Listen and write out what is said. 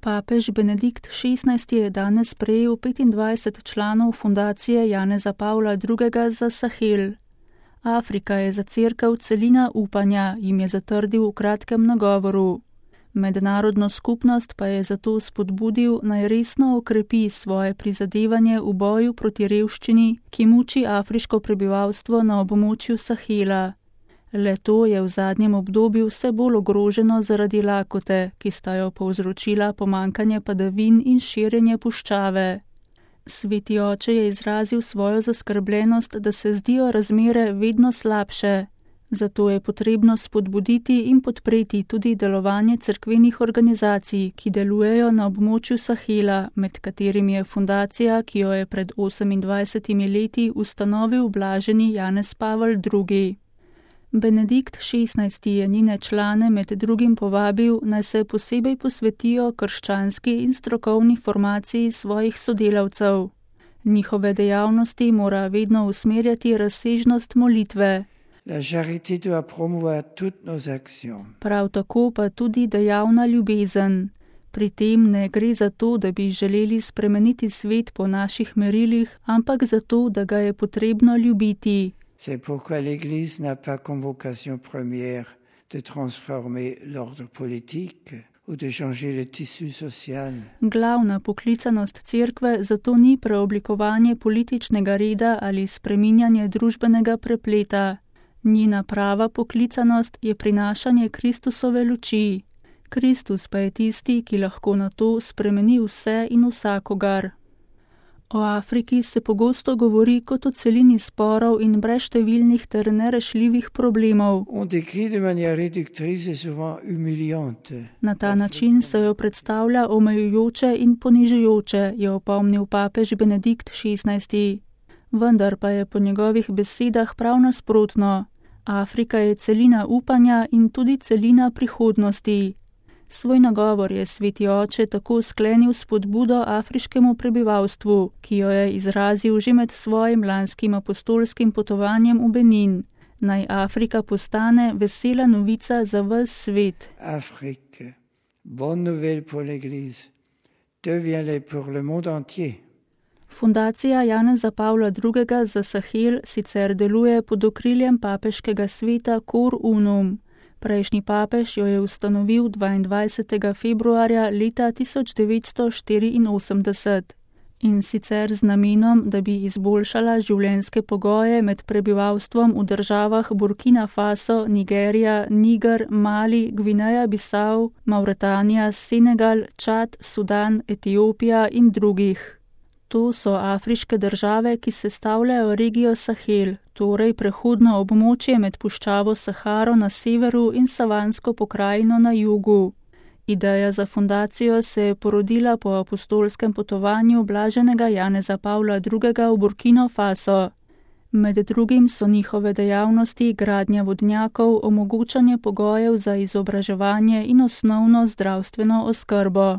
Papež Benedikt XVI je danes sprejel 25 članov fundacije Janeza Pavla II. Za Sahel. Afrika je za cerkev celina upanja, jim je zatrdil v kratkem nagovoru. Mednarodno skupnost pa je zato spodbudil, naj resno okrepi svoje prizadevanje v boju proti revščini, ki muči afriško prebivalstvo na območju Sahela. Le to je v zadnjem obdobju vse bolj ogroženo zaradi lakote, ki sta jo povzročila pomanjkanje padavin in širjenje puščave. Sveti oče je izrazil svojo zaskrbljenost, da se zdijo razmere vedno slabše. Zato je potrebno spodbuditi in podpreti tudi delovanje cerkvenih organizacij, ki delujejo na območju Sahela, med katerimi je fundacija, ki jo je pred 28 leti ustanovil blaženi Janez Pavel II. Benedikt XVI je njene člane med drugim povabil, naj se posebej posvetijo krščanski in strokovni formaciji svojih sodelavcev. Njihove dejavnosti mora vedno usmerjati razsežnost molitve. La charité doit promouvoir toutes nos actions. Prav tako pa tudi dejavna ljubezen. Pri tem ne gre za to, da bi želeli spremeniti svet po naših merilih, ampak za to, da ga je potrebno ljubiti. C'est pourquoi l'Église n'a pas comme vocation première de transformer l'ordre politique ou de changer le tissu social. Glavna poklicanost cerkve zato ni preoblikovanje političnega reda ali spreminjanje družbenega prepleta. Njena prava poklicanost je prinašanje Kristusove luči. Kristus pa je tisti, ki lahko na to spremeni vse in vsakogar. O Afriki se pogosto govori kot o celini sporov in brezštevilnih ter nerešljivih problemov. Na ta način se jo predstavlja omejujoče in ponižujoče, je opomnil papež Benedikt XVI. Vendar pa je po njegovih besedah prav nasprotno. Afrika je celina upanja in tudi celina prihodnosti. Svoj nagovor je sveti oče tako sklenil s spodbudo afriškemu prebivalstvu, ki jo je izrazil že med svojim lanskim apostolskim potovanjem v Benin. Naj Afrika postane vesela novica za ves svet. Afrique, bonne nouvelle pour l'Église, deviens-le pour le monde entier. Fundacija Janeza Pavla II. Za Sahel sicer deluje pod okriljem papeškega sveta Cor Unum. Prejšnji papež jo je ustanovil 22. februarja leta 1984 in sicer z namenom, da bi izboljšala življenjske pogoje med prebivalstvom v državah Burkina Faso, Nigerija, Niger, Mali, Gvineja Bisau, Mauretanija, Senegal, Čad, Sudan, Etiopija in drugih. To so afriške države, ki sestavljajo regijo Sahel, torej prehodno območje med puščavo Saharo na severu in savansko pokrajino na jugu. Ideja za fundacijo se je porodila po apostolskem potovanju blaženega Janeza Pavla II. V Burkino Faso. Med drugim so njihove dejavnosti gradnja vodnjakov, omogočanje pogojev za izobraževanje in osnovno zdravstveno oskrbo.